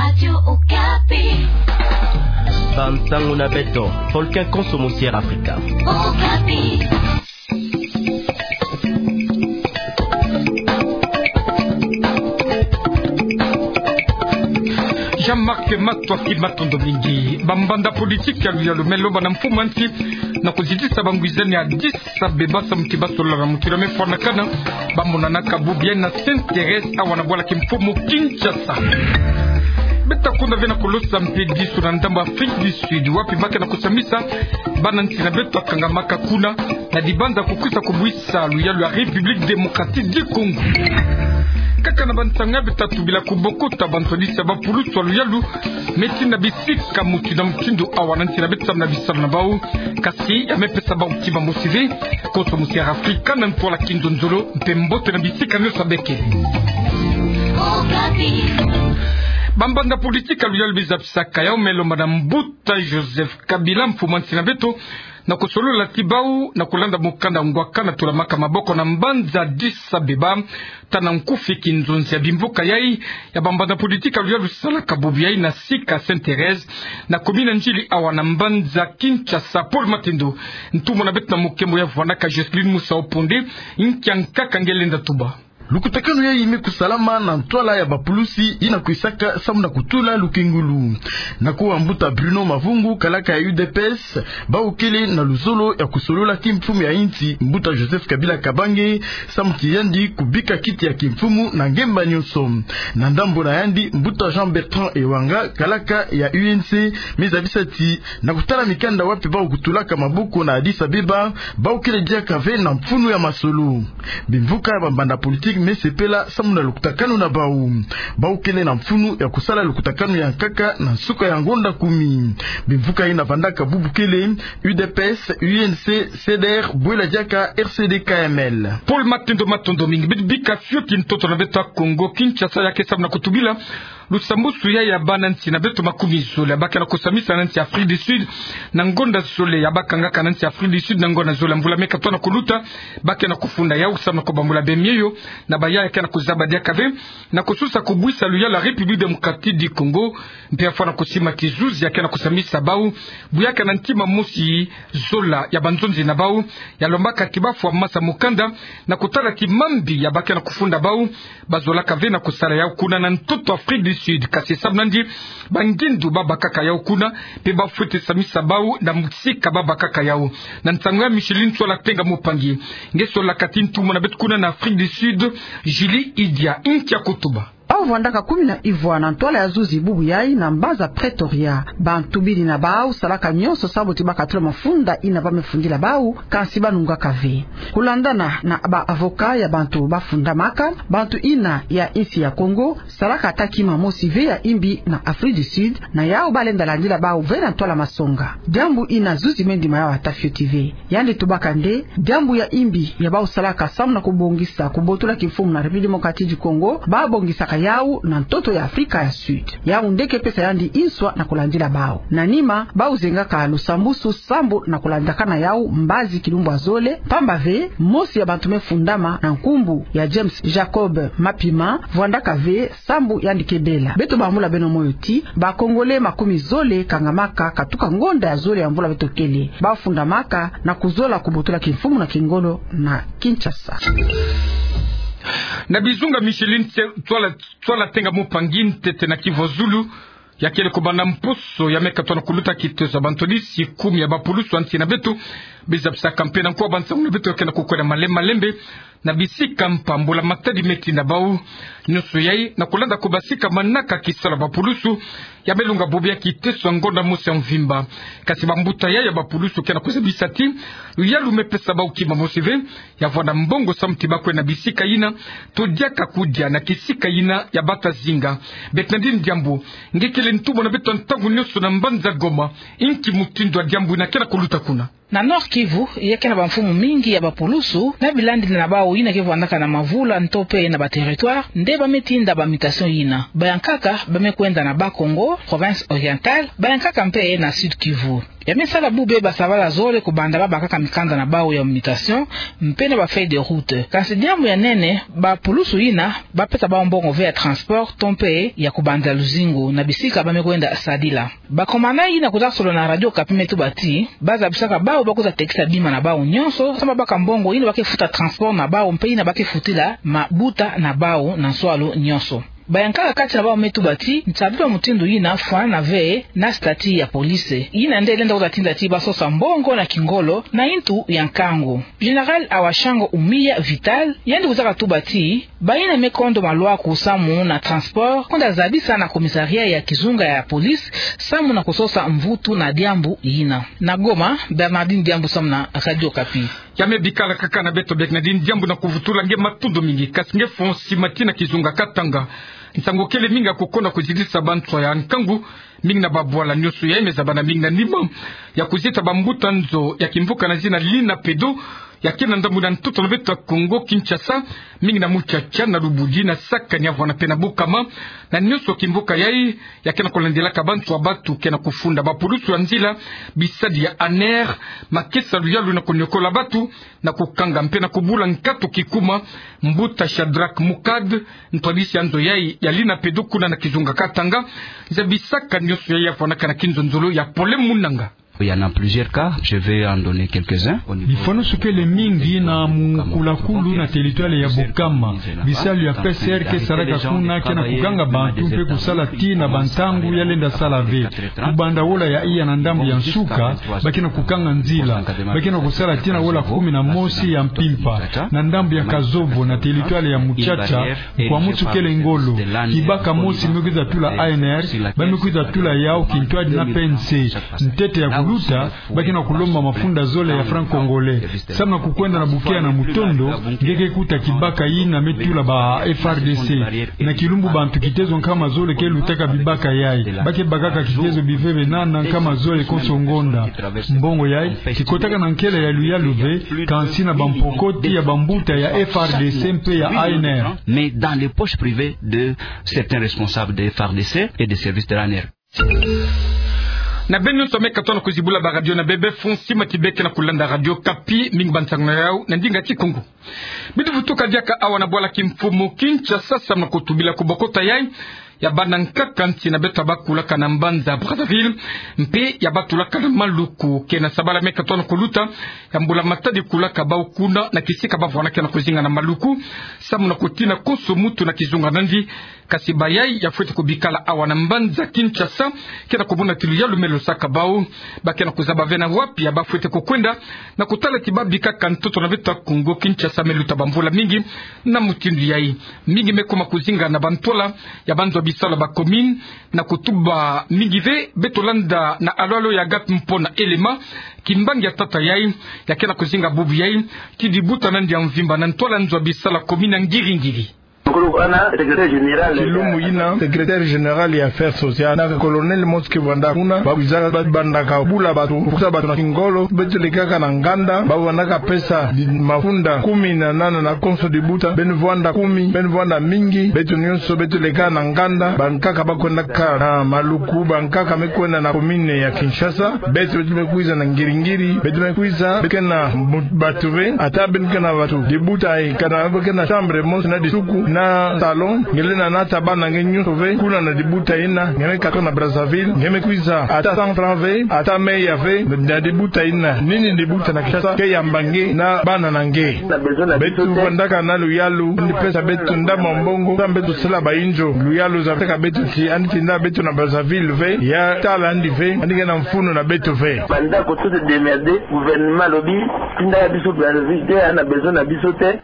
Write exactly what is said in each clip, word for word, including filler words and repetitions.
Radio Okapi. Bansango na beto, Volcan Konso Musière Africa. Okapi. Jean-Marc Matwa, ki matondo mingi. Bambanda politiki ya luyalu me lomba na mfumu a nsi na kuzitisa bangwizani ya Addis Abeba samu ti basolola na mutindu ya me fwanakana, bamonanaka bubu yayi na Sainte-Thérèse awa na bwala kimfumu Kinshasa. Beta kunda ve na kulosa mpediso na ndambu Afrique du Sud, wapi ba ke na kusamisa bana nsi na beto bakangamaka kuna, na dibanza kukwisa kubwisa luyalu ya République Démocratique du Congo. Kaka na bansango ya beta tubila, kubokota bantwadisi ya bapulusu ya luyalu me tina bisika mutindu na mutindu awa na nsi na beto samu na bisalu na bawu. Kasi ya me pesa bawu kima mosi ve. Konso Musière Africa na ntwala kinzonzolo, mpe mbote na bisika nyonso ba ke. Bambanda politiki ya luyalu bizapisaka yawu me lomba na mbuta Joseph Kabila, mfumu a nsi na beto, na kusolola ti bawu na kulanda mukanda ngwaka na tulamaka maboko na mbanza Addis Abeba, tana nkufi kinzonzi ya bimvuka yayi ya bambanda politiki ya luyalu salaka bubu yayi na sika Sainte-Thérèse, na commune N'djili awa na mbanza Kinshasa. Paul Matendo, ntumwa na beto na mukembo ya vwandaka Jocelyne Musa Oponde, nkia nkaka nge lenda tuba. Lukutakanu yayi me kusalama na ntwala ya bapulusi yina kwisaka samu na kutula lukengulu. Na kuwa mbuta Bruno Mavungu, kalaka ya U D P S, bawu kele na luzolo ya kusolola kimfumu ya insi, mbuta Joseph Kabila Kabange, samu ti yandi kubika kiti ya kimfumu na ngemba nyonso. Na ndambu na yandi, mbuta Jean-Bertrand Ewanga, kalaka ya U N C, me zabisa ti na kutala mikanda wapi bawu kutulaka maboko na Addis Abeba, bawu kele diaka ve na mfunu ya masolo. Bimvuka ya bambanda politiki me sepela samu na lukutakanu na bawu. Bawu kele na mfunu ya kusala lukutakanu ya nkaka na nsuka ya ngonda kumi. Bimvuka yina vandaka bubu kele U D P S, U N C, C D R, bwela diaka R C D K M L. Paul Matendo, matondo mingi. Bit bika fioti ntoto na beto ya Kongo Kinshasa, ya ke samu na kutubila lusambusu ya, ya bana nsi na beto makumi zole ya ba ke na kusamisa na nsi Afrique du Sud, na ngonda zole ya ba kangaka na nsi Afrique du Sud, na ngonda zole ya mvula me katuka na kuluta, ba ke na kufunda yawu samu na kubambula bemieyo na bayaya ke na kuzaba diaka ve na kususa kubwisa luyalu ya République Démocratique du Congo, mpe ya fwana kusima ti zuzi ya ke na kusamisa bawu, bu ya ke na ntima mosi zola ya banzonzi na bawu, ya lombaka ti ba fwa masa mukanda, na kutala ti mambi ya ba ke na kufunda bawu, ba zolaka ve na kusala yawu kuna na ntoto Afrique du Sud, kasi samu nandi bangindu ba bakaka yawu kuna, mpe ba fwete samisa bawu na msika ba bakaka yawu. Na nsangu ya Micheline Tswala Tenga Mupangi, nge solaka ti ntumwa na beto kuna na Afrique du Sud, Julie Idia, nkia kutuba. Bawu vandaka kumi na ivwa na ntwala ya zuzi bubu yayi na mbanza Pretoria. Bantu biri na bawu salaka nyonso samu ti ba katula mafunda yina ba me fundila bawu, kansi ba nungaka ve. Kulandana na ba avocat ya bantu ba fundamaka, bantu yina ya insi ya Congo salaka ata kima mosi ve ya imbi na Afrique du Sud, na yawu ba lenda landila bawu ve na ntwala masonga. Diambu yina zuzi me ndima yawu ata fioti ve. Yandi tubaka nde, diambu ya imbi ya bawu salaka samu na kubongisa kubotola kimfumu na République Démocratique du Congo, ba bongisaka yawu na ntoto ya Afrika ya Sud. Yawu nde ke pesa yandi nswa na kulandila bawu. Na nima, bawu zengaka lusambusu sambu na kulandakana yawu mbazi kilumbu ya zole, pamba ve, mosi ya bantu me fundama na nkumbu ya James Jacob Mapima, vwandaka ve sambu yandi ke bela. Beto bambula beno moyo ti, ba Congolais makumi zole kangamaka katuka ngonda ya zole ya mvula beto kele. Ba fundamaka na kuzola kubotola kimfumu na kingolo na Kinshasa. Na bizunga Micheline Tse-, Tswala, Tswala Tenga Mupangi, ntete na kivwazulu, ya kele kubanda mposo ya me katuka na kuluta kitezo ya bantwadisi kumi ya bapulusu ya nsi na beto, biza bisaka mpe na nkuwa bansangu na beto ya ke na kukwenda malembe malembe, na bisika mpambula matadi me tinda bawu. Nyonso yayi na kulanda kubasika manaka kisalu ya bapulusu ya me longa bobo ya kiteso ya ngonda mosi ya mvimba. Kasi bambuta ya, ya bapulusu ke na kuzabisa ti luyalu me pesa bawu kima mosi ve ya vwanda mbongo samu ti ba kwenda bisika yina, to diaka kudia na kisika yina ya bata zinga. Beto na dini diambu, nge kele ntumwa na beto ntangu nyonso na mbanza Goma, nki mutindu ya diambu yina ke na kuluta kuna? Na Nord-Kivu, ya ke na bamfumu mingi ya bapulusu, na bilandili na bawu yina ke vwandaka na mavula nto mpe na ba territoire, nde ba me tinda ba mutation yina. Bayankaka ba me kwenda na Bas-Congo, province orientale, bayankaka mpe na Sud-Kivu. Ya me sala bubu bê basabala zole kubanda babakaka mikanda na bawu ya mutation, mpe na ba feuille de route. Kansi diambu ya nene, bapulusu yina bapesa bawu mbongo ve ya transport to mpe ya kubanda luzingu na bisika ba me kwenda sadila. Bakomana yina kwiza solola na Radio Okapi me tuba ti, bazabisaka bawu bakwiza tekisa bima na bawu nyonso, samu babaka mbongo yina ba ke futa transport na bawu mpe yina ba ke futila mabuta na bawu na nswalu nyonso. Bayankaka kati na bawu me tuba ti, nsabi ya mutindu yina fwanana ve na statut ya police. Yina nde lenda kwiza tinda ti basosa mbongo na kingolo na yintu ya nkangu. Général Awashango Umiya Vital, yandi kwizaka tuba ti, bayina me kondo malwaku samu na transport, kwenda zabisa na commissariat ya kizunga ya police, samu na kusosa mvutu na diambu yina. Na Goma, Bernardine Diambu samu na Radio Okapi. Ya me bikala kaka na beto, Bernardine Diambu, na kuvutula nge matondo mingi, kasi nge fo nsi mati na kizunga Katanga. Nsangu kele mingi ya kukonda kuzitisa banswa ya nkangu, mingi na babwala nyonso ya me zabana mingi na nima ya kuzita bambuta nzo ya kimvuka na zina Lina Pedo, ya ke na ndambu na ntoto na beto Kongo Kinshasa, mingi na Mutsatsa, na Lubudi, na Sakani, ya vwanda mpe na Bukama, na nyonso kimvuka yayi, ya ke na kulandilaka banswa batu ke na kufunda. Bapulusu ya nzila, bisadi ya ANR, ma ke sa luyalu na kuniokola batu, na kukanga mpe na kubula nkatu kikuma. Mbuta Shadrack Mukad, ntwadisi ya nzo yayi ya Lina Pedo kuna na kizunga Katanga, zabisaka nyonso yayi ya vwandaka na kinzonzolo ya Pole Munanga. Il y en a plusieurs cas, je vais en donner quelques-uns. Bifonoso kele mingi na mukulakulu na territoire ya Bukama. Bisalu ya P C R ke salaka kuna ke na kukanga bantu mpe kusala tii na bantangu ya lenda sala ve. Kubanda wola ya iya na ndambu ya nsuka, ba ke na kukanga nzila. Ba ke na kusala tii na wola kumi na mosi ya mpimpa. Na ndambu ya Kazovo na territoire ya Mutsatsa, nkwamusu kele ngolo. Kibaka mosi me kwiza tula ANR, ba me kwiza tula yawu kintwadi na P N C. Ntete ya kuluta, ba ke na kulomba mafunda zole ya franc congolais. Samu na kukwenda na bukeya na mutondo, nge ke kuta kibaka yina me tula ba F R D C. Na kilumbu bantu kitezo nkama zole ke lutaka bibaka yayi. Ba ke bakaka kitezo biveve na nkama zole konso ngonda. Mbongo yayi, kikotaka na nkele ya luyalu ve, kansi na bampokoti ya bambuta ya F R D C mpe ya ANR. Mais dans les poches privées de certains responsables de F R D C et des services de l'ANR. Na beno nyonso me katono kuzibula ba radio na bebe, fo nsi mati bê ke na kulanda Radio Okapi, mingi bansangu na yawu na ndinga Kikongo. Bituvutuka diaka awa na bwala kimfumu Kinshasa, samu na kutubila kubokota yayi ya bana nkaka nsi na beto bakulaka na mbanza Brazzaville, mpe ya batulaka na Maluku, ke na sabala me katono kuluta, ya mbula matadi kulaka bawu kuna na kisika ba vwandaka na kuzinga na Maluku, samu na kutina konso muntu na kizunga na yandi. Kasi bayayi ya fwete kubikala awa na mbanza Kinshasa, ke na kumona ti luyalu me losaka bawu. Ba ke na kuzaba ve na wapi ya ba fwete kukwenda, na kutala ti ba bikaka ntoto na beto Kongo Kinshasa me luta bamvula mingi na mutindu yayi. Mingi me kuma kuzinga na bantwala ya banzo ya bisalu ya ba commune, na kutuba mingi ve. Beto landa na Aloalo ya Agathe Mpona Elema, kimbangi ya tata yayi, ya ke na kuzinga bubu yayi ti dibuta na yandi ya mvimba na ntwala nzo ya bisalu ya commune ya Ngiri-Ngiri. Kilumbu yina, secrétaire général ya affaires sociales, na colonel mosi ke vwanda kuna, ba kwiza ba bandaka bula batu, pukusa batu na kingolo. Beto lekaka na nganda, ba vwandaka pesa di mafunda kumi na nana na konso dibuta, beno vwanda kumi, beno vwanda mingi, beto nyonso beto lekaka na nganda. Bankaka ba kwendaka na Maluku, bankaka me kwenda na commune ya Kinshasa, beto, beto me kwiza na Ngiri-Ngiri, beto me kwiza, beto ke na mu-, batu ve, ata beno ke na batu. Dibuta yayi, kana beno ke na chambre mosi na disuku, na salon, nge lenda nata bana na nge nyonso ve, kuna na dibuta yina. Nge me katuka na Brazzaville, nge me kwiza, ata cent francs ve, ata meya ve, na dibuta yina. Nini dibuta na Kinshasa ke yamba nge na bana na nge? Beto vwandaka na luyalu, yandi pesa beto ndambu ya mbongo, samu beto sala bayinzo. Luyalu zabaka beto ti yandi tinda beto na Brazzaville ve, ya tala yandi ve, yandi ke na mfunu na beto ve. Banda ko se démerder, gouvernement alobi, tinda ya biso Brazzaville te, ya na besoin na biso te.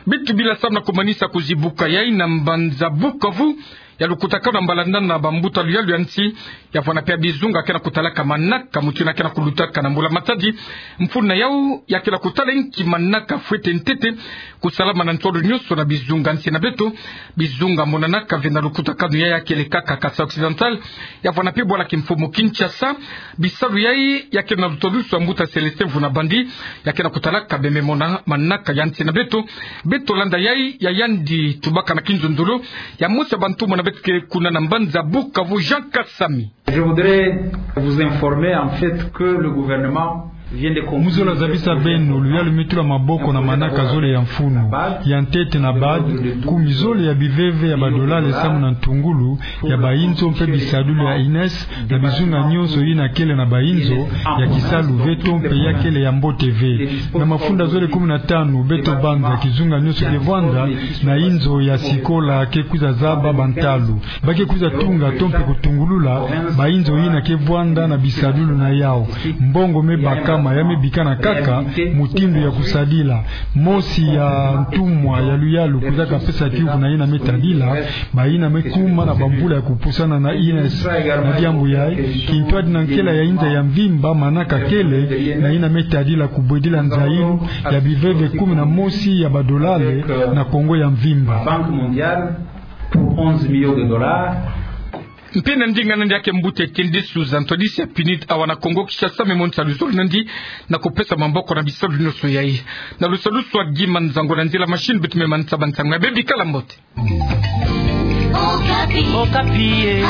Beto bila samu na kumanisa kuzibuka yayi na mbanza Bukavu, ya lukutakanu na mbalandana na bambuta luyalu ya nsi, ya vwanda mpe ya bizunga ke na kutalaka manaka, muntu yina ke na kulutaka na mbula matadi. Mfunu na yawu ya ke na kutala inki manaka fwete ntete kusalama na ntwalo nyonso na bizunga nsi na beto. Bizunga monanaka ve na lukutakanu yayi ya kele kaka Kasaï Occidental, ya vwanda mpe bwala kimfumu Kinshasa. Bisalu yayi ya ke na lutalusu ya mbuta Célestin Mvuna Bandi, ya ke na kutalaka bembe mona manaka ya nsi na beto. Beto landa yayi ya yandi tubaka na kinzonzolo ya mosi ya bantu mona Beto ke kuna na mbanza Bukavu, Jean Kasami. Je voudrais vous informer en fait que le gouvernement vient de conclure... Mu zola zabisa beno, luyalu me tula maboko na manaka zole ya mfunu. Ya ntete na bad, kumi zole ya biveve ya badolale samu na ntungulu ya bayinzo mpe bisadulu ya INES, na bizunga nyonso yina kele na bayinzo, ya kisalu ve to mpe ya kele ya mbote ve. Na mafunda zole kumi na tanu beto banza, kizunga nyonso ke vwanda na yinzo ya sikola ke kwiza zaba bantalu. Ba ke kwiza tunga to mpe kutungulula bayinzo yina ke vwanda na bisadulu na yau. Mbongo me bakama, ya me bikana kaka mutindu ya kusadila. Mosi ya ntumwa ya luyalu kwiza kapesa kiuvu na yina me tadila bayina me kuma na bamvula ya kupusana na INES. Na diambu yayi, kintwadi na nkela ya inza ya mvimba manaka kele na yina me tadila kubwedila nzayilu ya biveve kumi na mosi ya badolale na Kongo ya mvimba. Banque mondiale pour onze millions de dollars. Mpe na ndinga nandi ya ke mbuta Tende Suza, ntwadisi ya PNUD awa na Kongo Kinshasa, me monisa luzolo nandi na kupesa maboko na bisalu nyonso yayi. Na lusalusu Guy Manzango, na nzila machine beto me manisa bansango ya bebi. Kala mbote. Okapi. Okapi, eh.